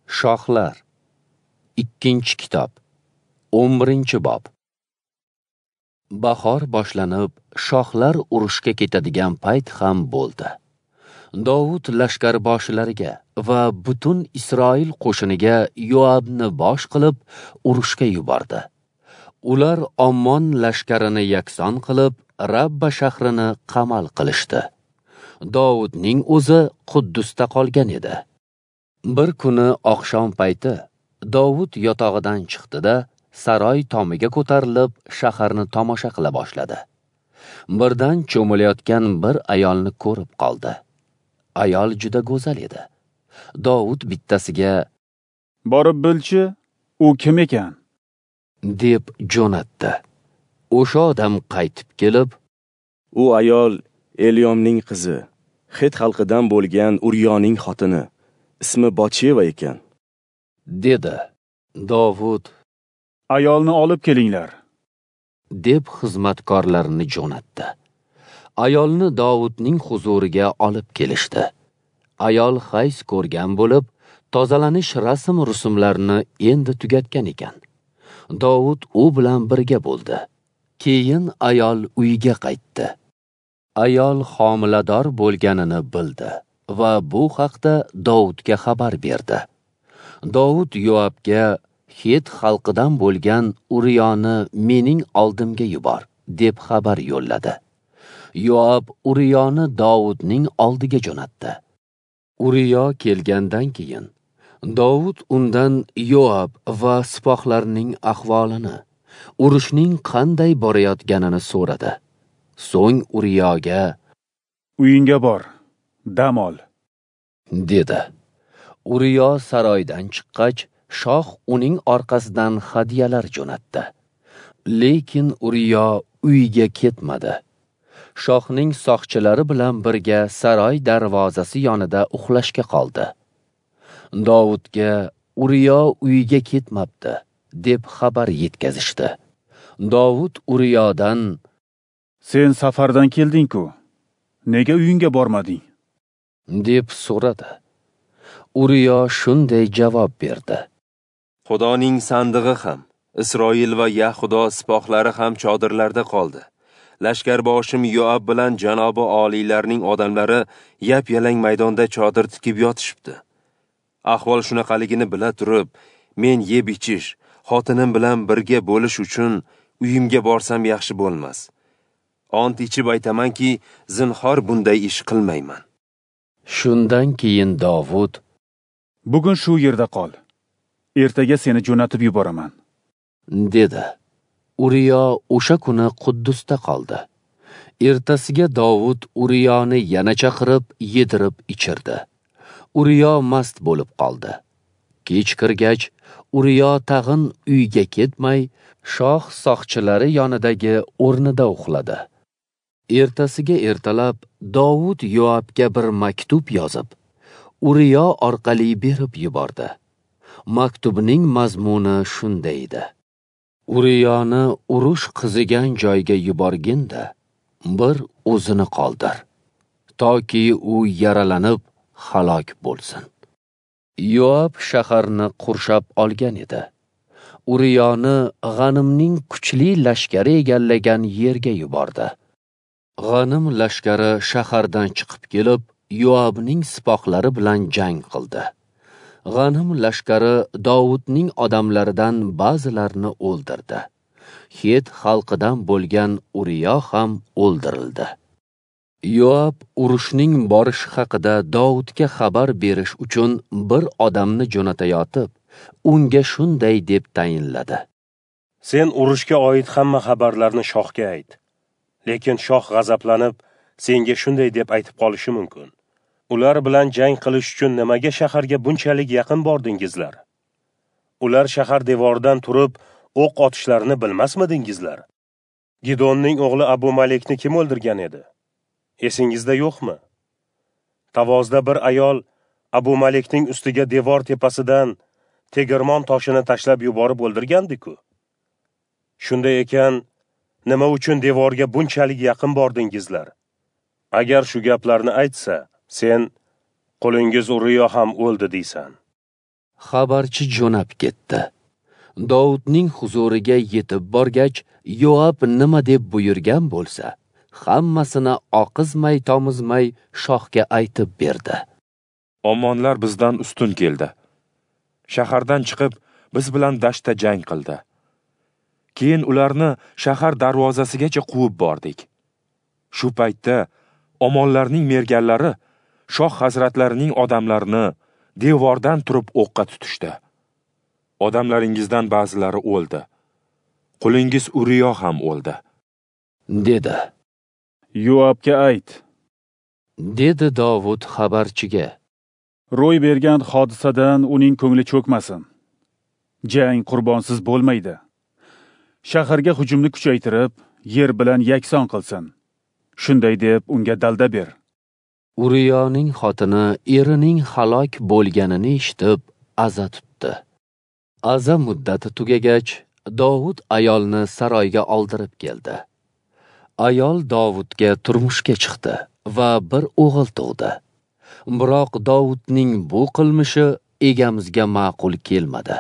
Shohlar. 2-kitob, 11-bob. Bahor boshlanib, shohlar urushga ketadigan payt ham bo'ldi. Dovud lashkarboshilariga va butun Isroil qo'shiniga Yoabni bosh qilib urushga yubordi. Ular Ommon lashkarini yakson qilib, Rabba shahrini qamal qilishdi. Dovudning o'zi Quddusda qolgan edi. Bir kuni oqshom payti Dovud yotog'idan chiqdi-da, saroy tomiga ko'tarilib, shaharni tomosha qila boshladi. Birdan cho'milayotgan bir ayolni ko'rib qoldi. Ayol juda go'zal edi. Dovud bittasiga: "Borib bilchi, u kim ekan?" deb jo'natdi. O'sha odam qaytib kelib, "U ayol Elyomning qizi, Xet xalqidan bo'lgan Uriyoning xotini, ismi Botsheva ekan," dedi. Dovud: "Ayolni olib kelinglar," deb xizmatkorlarini jo'natdi. Ayolni Dovudning huzuriga olib kelishdi. Ayol hayz ko'rgan bo'lib, tozalanish rasm-rusumlarini endi tugatgan ekan. Dovud u bilan birga bo'ldi. Keyin ayol uyiga qaytdi. Ayol homilador bo'lganini bildi va bu haqda Dovudga xabar berdi. Dovud Yoabga: "Xet xalqidan bo'lgan Uriyoni mening oldimga yubor," deb xabar yo'lladi. Yoab Uriyoni Dovudning oldiga jo'natdi. Uriyo kelgandan keyin Dovud undan Yoab va sipohlarning ahvolini, urushning qanday borayotganini so'radi. So'ng Uriyoga: "Uyingga bor, dam ol," dedi. Uriyo saroydan chiqqach, shoh uning orqasidan hadyalar jo'natdi. Lekin Uriyo uyiga ketmadi. Shohning soqchilari bilan birga saroy darvozasi yonida uxlashga qoldi. Dovudga Uriyo uyiga ketmabdi, deb xabar yetkazishdi. Dovud Uriyodan: "Sen safardan kelding-ku, nega uyingga bormading?" deb so'radi. Uriyo shunday javob berdi: "Xudoning sandig'i ham, Isroil va Yahudo sipohlari ham chodirlarda qoldi. Lashkarboshim Yoab bilan janobi oliylarning odamlari yap-yalang maydonda chodir tikib yotishibdi. Ahvol shunaqaligini bila turib, men yeb ichish, xotinim bilan birga bo'lish uchun uyimga borsam yaxshi bo'lmas. Ont ichib aytamanki, zinhor bunday ish qilmayman." Shundan keyin Dovud: "Bugun shu yerda qol. Ertaga seni jo'natib yuboraman," dedi. Uriyo o'sha kuni Quddusda qoldi. Ertasiga Dovud Uriyoni yana chaqirib, yedirib ichirdi. Uriyo mast bo'lib qoldi. Kech kirgach, Uriyo tag'in uyga ketmay, shoh soqchilari yonidagi o'rnida uxladi. Ertasiga ertalab Dovud Yoabga bir maktub yozib, Uriyo orqali berib yubordi. Maktubning mazmuni shunday edi: Uriyoni urush qizigan joyga yuborgin-da, bir o'zini qoldir, toki u yaralanib halok bo'lsin. Yoab shaharni qurshab olgan edi. Uriyoni G'animning kuchli lashkari egallagan yerga yubordi. G'anim lashkari shahardan chiqib kelib, Yoabning sipohlari bilan jang qildi. G'anim lashkari Dovudning odamlaridan ba'zilarini o'ldirdi. Xet xalqidan bo'lgan Uriyo ham o'ldirildi. Yoab urushning borishi haqida Dovudga xabar berish uchun bir odamni jo'natayotib, unga shunday deb tayinladi: "Sen urushga oid hamma xabarlarni shohga ayt. Lekin shoh g'azablanib, senga shunday deb aytib qolishi mumkin: Ular bilan jang qilish uchun nimaga shaharga bunchalik yaqin bordingizlar? Ular shahar devoridan turib o'q otishlarini bilmasmidingizlar? Gidonning o'g'li Abu Malikni kim o'ldirgan edi? Esingizda yo'qmi? Tavozda bir ayol Abu Malikning ustiga devor tepasidan tegirmon toshini tashlab yuborib o'ldirgandi-ku. Shunday ekan, nima uchun devorga bunchalik yaqin bordingizlar? Agar shu gaplarni aytsa, sen qulingiz Uriyo ham o'ldi deysan." Xabarchi jo'nab ketdi. Dovudning huzuriga yetib borgach, Yoab nima deb buyurgan bo'lsa, hammasini oqizmay tomizmay shohga aytib berdi. Ommonlar bizdan ustun keldi. Shahardan chiqib, biz bilan dashtda jang qildi. Keyin ularni shahar darvozasigacha quvib bordik. Shu paytda Ommonlarning merganlari shoh hazratlarining odamlarini devordan turib o'qqa tutishdi. Odamlaringizdan ba'zilari o'ldi. Qulingiz Uriyo ham o'ldi, dedi. Yoabga ayt, dedi Dovud xabarchiga. Ro'y bergan hodisadan uning ko'ngli cho'kmasin. Jang qurbonsiz bo'lmaydi. Shaharga hujumni kuchaytirib, yer bilan yakson qilsin. Shunday deb unga dalda ber. Uriyoning xotini erining halok bo'lganini eshitib, aza tutdi. Aza muddati tugagach, Dovud ayolni saroyga oldirib keldi. Ayol Dovudga turmushga chiqdi va bir o'g'il tug'di. Biroq Dovudning bu qilmishi egamizga ma'qul kelmadi.